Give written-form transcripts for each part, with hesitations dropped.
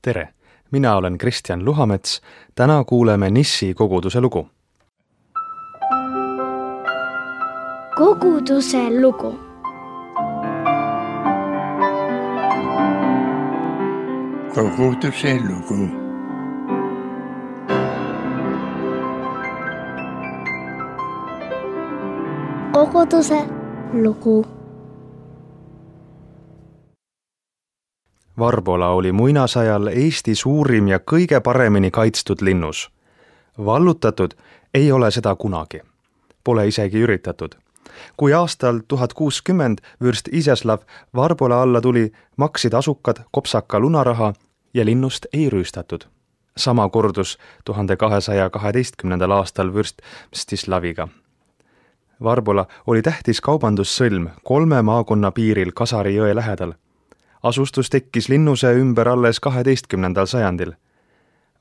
Tere! Mina olen Kristjan Luhamets. Täna kuuleme Nissi koguduse lugu. Koguduse lugu. Koguduse lugu. Koguduse lugu. Varbola oli muinasajal Eesti suurim ja kõige paremini kaitstud linnus. Vallutatud ei ole seda kunagi. Pole isegi üritatud. Kui aastal 1060 vürst Iziaslav Varbola alla tuli, maksid asukad kopsaka lunaraha ja linnust ei rüüstatud. Sama kordus 1212. aastal vürst Mstislaviga. Varbola oli tähtis kaubandussõlm 3 maakonna piiril Kasari jõe lähedal. Asustus tekkis linnuse ümber alles 12. sajandil.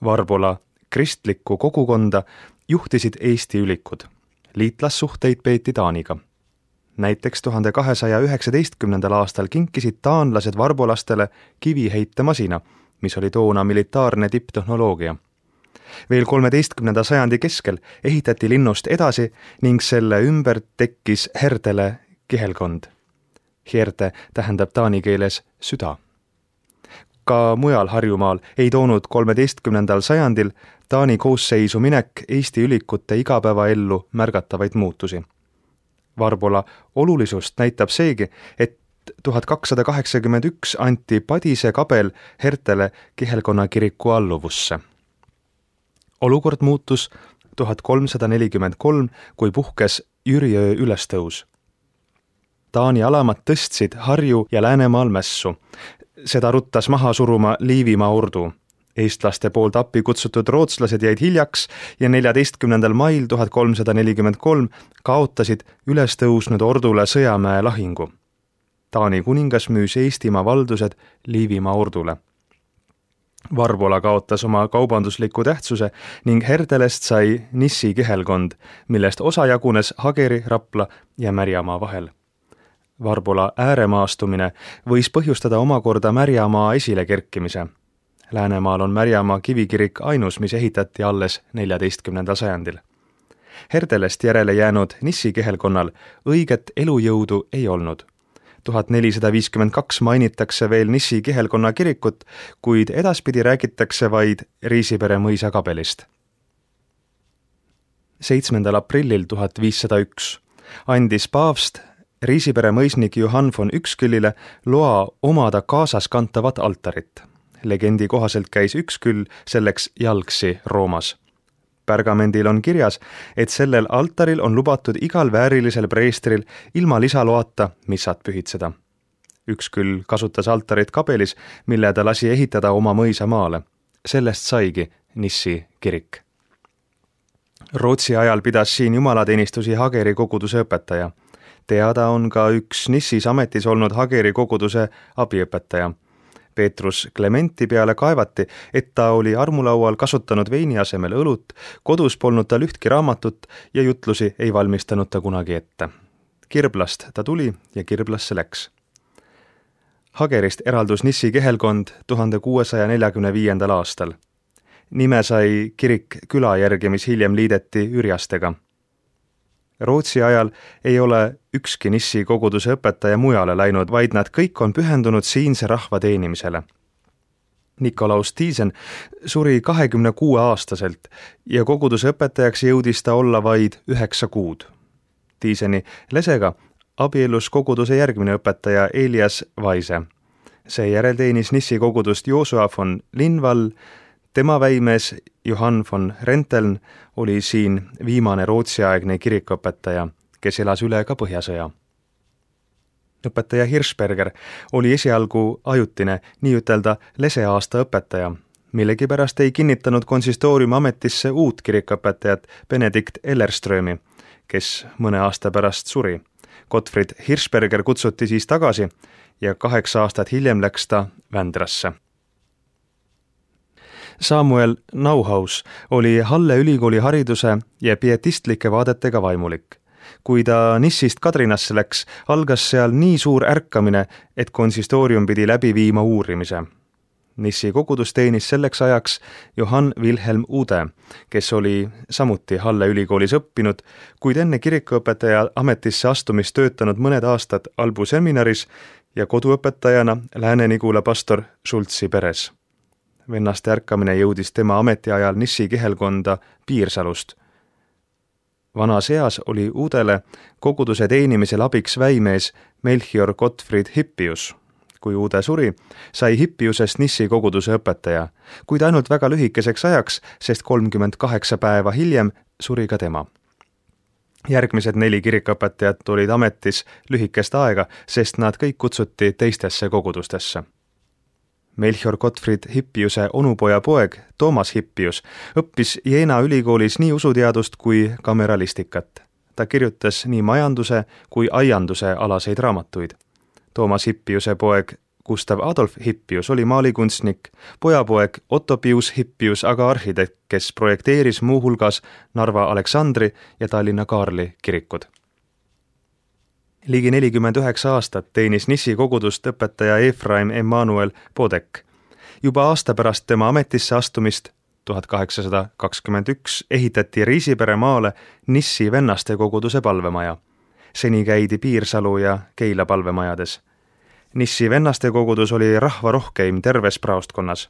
Varbola kristlikku kogukonda juhtisid Eesti ülikud. Liitlassuhteid peeti Taaniga. Näiteks 1219. aastal kinkisid taanlased varbolastele kiviheitemasina, mis oli toona militaarne tipptehnoloogia. Veel 13. sajandi keskel ehitati linnust edasi ning selle ümber tekkis Herdele kihelkond. Herde tähendab taani keeles süda. Ka mujal Harjumaal ei toonud 13. sajandil Taani koosseisu minek Eesti ülikute igapäevaellu märgatavaid muutusi. Varbola olulisust näitab seegi, et 1281 anti Padise kabel Hertele kihelkonna kiriku alluvusse. Olukord muutus 1343, kui puhkes Jüriöö ülestõus. Taani alamad tõstsid Harju ja Läänemaal mässu. Seda ruttas maha suruma Liivimaa ordu. Eestlaste poolt appi kutsutud rootslased jäid hiljaks ja 14. mail 1343 kaotasid ülestõusnud ordule Sõjamäe lahingu. Taani kuningas müüs Eestimaa valdused Liivimaa ordule. Varbola kaotas oma kaubandusliku tähtsuse ning Herdelest sai Nissi kihelkond, millest osa jagunes Hageri, Rapla ja Märjamaa vahel. Varbola ääremaastumine võis põhjustada omakorda Märjamaa esile kerkimise. Läänemaal on Märjamaa kivikirik ainus, mis ehitati alles 14. sajandil. Herdelest järele jäänud Nissi kihelkonnal õiget elujõudu ei olnud. 1452 mainitakse veel Nissi kihelkonna kirikut, kuid edaspidi räägitakse vaid Riisipere mõisa kabelist. 7. aprillil 1501 andis paavst Riisipere mõisnik Johann von Uexküllile loa omada kaasas kantavat altarit. Legendi kohaselt käis Uexküll selleks jalgsi Roomas. Pergamendil on kirjas, et sellel altaril on lubatud igal väärilisel preestril ilma lisaloata missat pühitseda. Uexküll kasutas altarit kabelis, mille ta lasi ehitada oma mõisa maale. Sellest saigi Nissi kirik. Rootsi ajal pidas siin jumalateenistusi Hageri koguduse õpetaja. Teada on ka üks Nissis ametis olnud Hageri koguduse abiõpetaja. Peetrus Clementi peale kaevati, et ta oli armulaual kasutanud veini asemel õlut, kodus polnud tal ühtki raamatut ja jutlusi ei valmistanud ta kunagi ette. Kirblast ta tuli ja Kirblasse läks. Hagerist eraldus Nissi kihelkond 1645. aastal. Nime sai kirik küla järgi, mis hiljem liideti Ürjastega. Rootsi ajal ei ole ükski Nissi koguduse õpetaja mujale läinud, vaid nad kõik on pühendunud siinse rahva teenimisele. Nikolaus Tiisen suri 26-aastaselt ja koguduse õpetajaks jõudis ta olla vaid 9 kuud. Tiiseni lesega abiellus koguduse järgmine õpetaja Elias Vaise. Seejärel teenis Nissi kogudust Joosua von Linvall. Tema väimees Johann von Renteln oli siin viimane rootsiaegne kirikuõpetaja, kes elas üle ka Põhjasõja. Õpetaja Hirschberger oli esialgu ajutine, nii ütelda leseaasta õpetaja. Millegipärast ei kinnitanud konsistooriumi ametisse uut kirikuõpetajat Benedikt Ellerströmi, kes mõne aasta pärast suri. Gottfried Hirschberger kutsuti siis tagasi ja 8 aastat hiljem läks ta Vändrasse. Samuel Nauhaus oli Halle ülikooli hariduse ja pietistlike vaadetega vaimulik. Kui ta Nissist Kadrinasse läks, algas seal nii suur ärkamine, et konsistoorium pidi läbi viima uurimise. Nissi kogudus teenis selleks ajaks Johann Wilhelm Ude, kes oli samuti Halle ülikoolis õppinud, kuid enne kirikuõpetaja ametisse astumist töötanud mõned aastad Albu seminaris ja koduõpetajana Lääne-Nigula pastor Schultzi peres. Vennaste ärkamine jõudis tema ametiajal Nissi kihelkonda Piirsalust. Vanas eas oli Udele koguduse teenimisel abiks väimees Melchior Gottfried Hippius. Kui Ude suri, sai Hippiusest Nissi koguduse õpetaja, kuid ainult väga lühikeseks ajaks, sest 38 päeva hiljem suri ka tema. Järgmised 4 kirikuõpetajat olid ametis lühikest aega, sest nad kõik kutsuti teistesse kogudustesse. Melchior Gottfried Hippiuse onupoja poeg Toomas Hippius õppis Jena ülikoolis nii usuteadust kui kameralistikat. Ta kirjutas nii majanduse kui aianduse alaseid raamatuid. Toomas Hippiuse poeg Gustav Adolf Hippius oli maalikunstnik, pojapoeg Otto Pius Hippius aga arhitekt, kes projekteeris muuhulgas Narva Aleksandri ja Tallinna Kaarli kirikud. Ligi 49 aastat teenis Nissi kogudust õpetaja Efraim Emmanuel Podek. Juba aasta pärast tema ametisse astumist 1821 ehitati Riisipere maale Nissi vennaste koguduse palvemaja. Seni käidi Piirsalu ja Keila palvemajades. Nissi vennaste kogudus oli rahvarohkeim terves praostkonnas.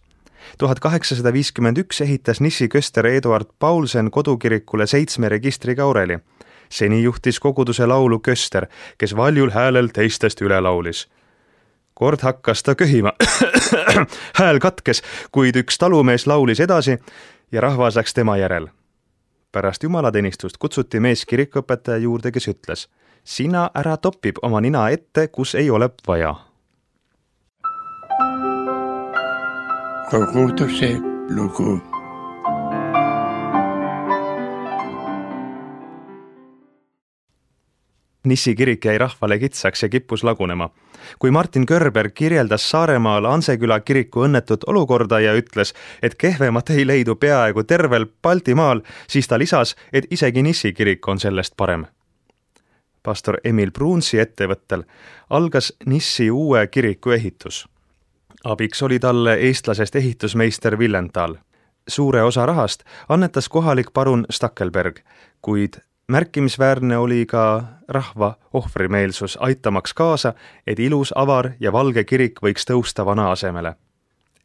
1851 ehitas Nissi köster Eduard Paulsen kodukirikule 7 registriga oreli. Seni juhtis koguduse laulu köster, kes valjul häälel teistest üle laulis. Kord hakkas ta köhima. Hääl katkes, kuid üks talumees laulis edasi ja rahvas läks tema järel. Pärast jumalateenistust kutsuti mees kirikuõpetaja juurde, kes ütles: "Sina ära topib oma nina ette, kus ei ole vaja." Koguduse lugu. Nissi kirik jäi rahvale kitsaks ja kippus lagunema. Kui Martin Körber kirjeldas Saaremaal Anseküla kiriku õnnetut olukorda ja ütles, et kehvemat ei leidu peaaegu tervel Baltimaal, siis ta lisas, et isegi Nissi kirik on sellest parem. Pastor Emil Bruunsi ettevõttel algas Nissi uue kiriku ehitus. Abiks oli talle eestlasest ehitusmeister Villenthal. Suure osa rahast annetas kohalik parun Stackelberg, kuid märkimisväärne oli ka rahva ohvrimeelsus, aitamaks kaasa, et ilus, avar ja valge kirik võiks tõusta vana asemele.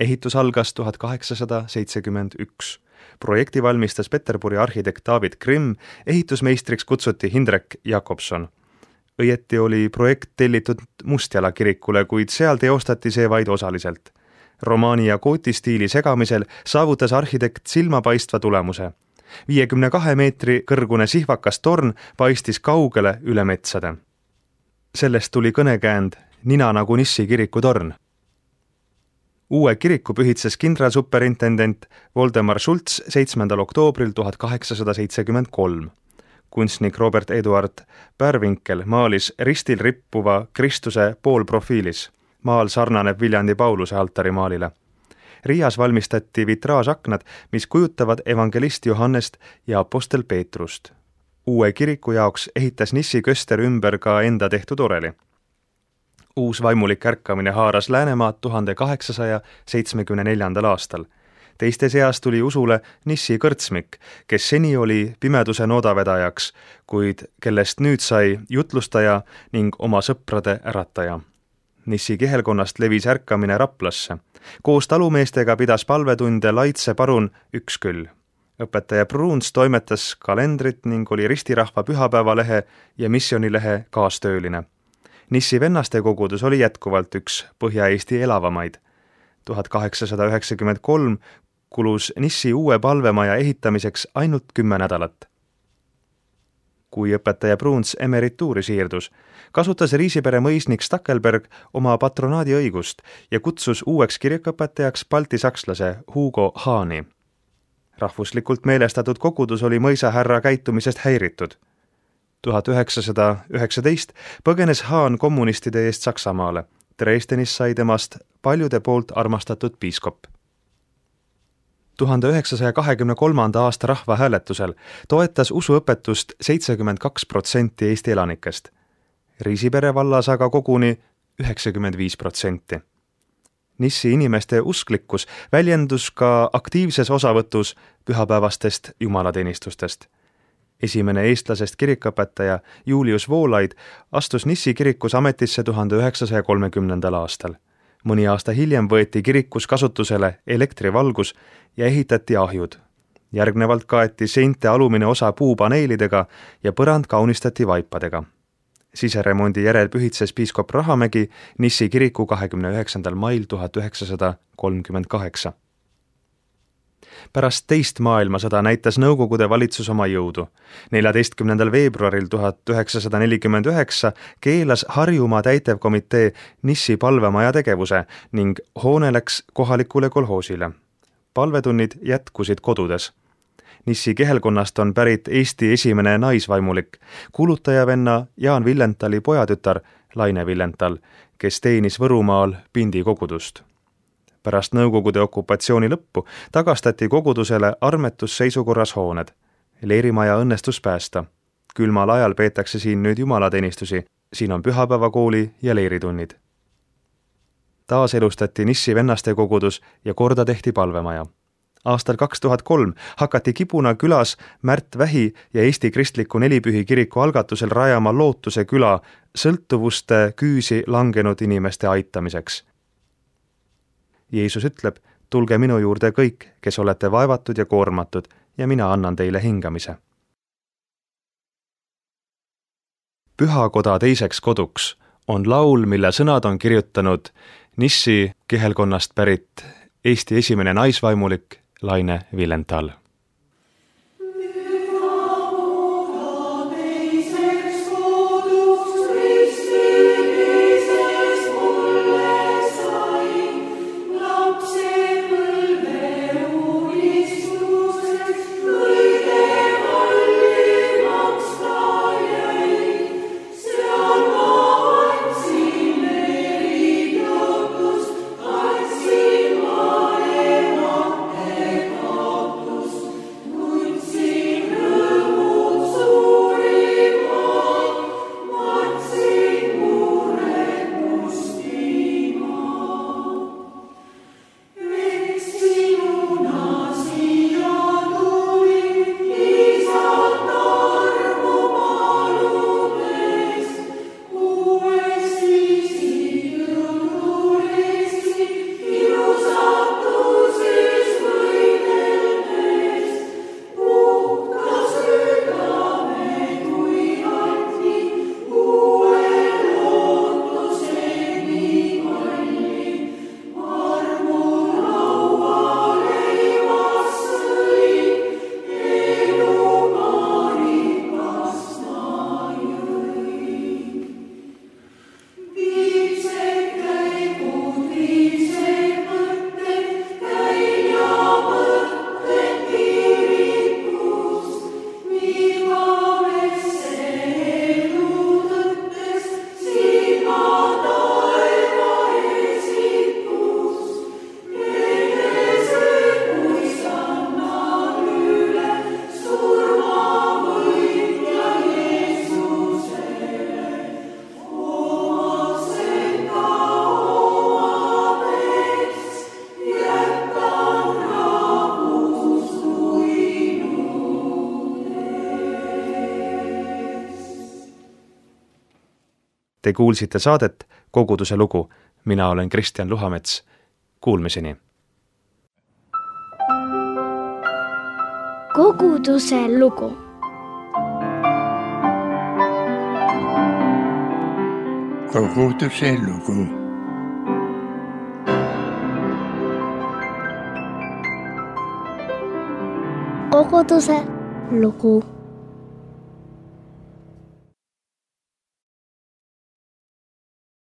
Ehitus algas 1871. Projekti valmistas Peterburi arhitekt David Grimm, ehitusmeistriks kutsuti Hindrek Jakobson. Õieti oli projekt tellitud Mustjala kirikule, kuid seal teostati see vaid osaliselt. Romaani ja gooti stiili segamisel saavutas arhitekt silmapaistva tulemuse. 52 meetri kõrgune sihvakas torn paistis kaugele üle metsade. Sellest tuli kõnekäänd "Nina nagu Nissi kiriku torn". Uue kiriku pühitses kindralsuperintendent Voldemar Schultz 7. oktoobril 1873. Kunstnik Robert Eduard Pärvinkel maalis ristil rippuva Kristuse poolprofiilis. Maal sarnaneb Viljandi Pauluse altarimaalile. Riias valmistati vitraažaknad, mis kujutavad evangelist Johannest ja apostel Peetrust. Uue kiriku jaoks ehitas Nissi köster ümber ka enda tehtud oreli. Uus vaimulik ärkamine haaras Läänemaad 1874. aastal. Teiste seas tuli usule Nissi kõrtsmik, kes seni oli pimeduse noodavedajaks, kuid kellest nüüd sai jutlustaja ning oma sõprade ärataja. Nissi kihelkonnast levis ärkamine Raplasse. Koos talumeestega pidas palvetunde Laitse parun Üksküll. Õpetaja Bruuns toimetas kalendrit ning oli ristirahva pühapäevalehe ja missioonilehe kaastööline. Nissi vennaste kogudus oli jätkuvalt üks Põhja-Eesti elavamaid. 1893 kulus Nissi uue palvemaja ehitamiseks ainult 10 nädalat. Kui õpetaja Bruuns emerituuri siirdus, kasutas Riisipere mõisnik Stackelberg oma patronaadi õigust ja kutsus uueks kirikuõpetajaks baltisakslase Hugo Haani. Rahvuslikult meelestatud kogudus oli mõisahärra käitumisest häiritud. 1919 põgenes Haan kommunistide eest Saksamaale. Dresdenis sai temast paljude poolt armastatud piiskop. 1923. aasta rahvahääletusel toetas usuõpetust 72% Eesti elanikest. Riisipere vallas aga koguni 95%. Nissi inimeste usklikkus väljendus ka aktiivses osavõtus pühapäevastest jumalateenistustest. Esimene eestlasest kirikuõpetaja Julius Voolaid astus Nissi kirikus ametisse 1930. aastal. Mõni aasta hiljem võeti kirikus kasutusele elektrivalgus ja ehitati ahjud. Järgnevalt kaeti seinte alumine osa puupaneelidega ja põrand kaunistati vaipadega. Siseremondi järel pühitses piiskop Rahamägi Nissi kiriku 29. mail 1938. Pärast teist maailmasõda näitas Nõukogude valitsus oma jõudu. 14. veebruaril 1949 keelas Harjumaa täitevkomitee Nissi palvemaja tegevuse ning hoone läks kohalikule kolhoosile. Palvetunnid jätkusid kodudes. Nissi kehelkonnast on pärit Eesti esimene naisvaimulik, kuulutajavenna Jaan Villentali pojatütar Laine Villental, kes teenis Võrumaal Pindi kogudust. Pärast Nõukogude okupatsiooni lõppu tagastati kogudusele armetusseisukorras hooned. Leerimaja õnnestus päästa. Külmal ajal peetakse siin nüüd jumalateenistusi, siin on pühapäevakooli ja leeritunnid. Taas elustati Nissi vennaste kogudus ja korda tehti palvemaja. Aastal 2003 hakati Kibuna külas Märt Vähi ja Eesti Kristliku Nelipühi kiriku algatusel rajama Lootuse küla sõltuvuste küüsi langenud inimeste aitamiseks. Jeesus ütleb, tulge minu juurde kõik, kes olete vaevatud ja koormatud, ja mina annan teile hingamise. Pühakoda teiseks koduks on laul, mille sõnad on kirjutanud Nissi kehelkonnast pärit Eesti esimene naisvaimulik Laine Villental. Te kuulsite saadet Koguduse lugu. Mina olen Kristjan Luhamets. Kuulmiseni. Koguduse lugu. Koguduse lugu. Koguduse lugu.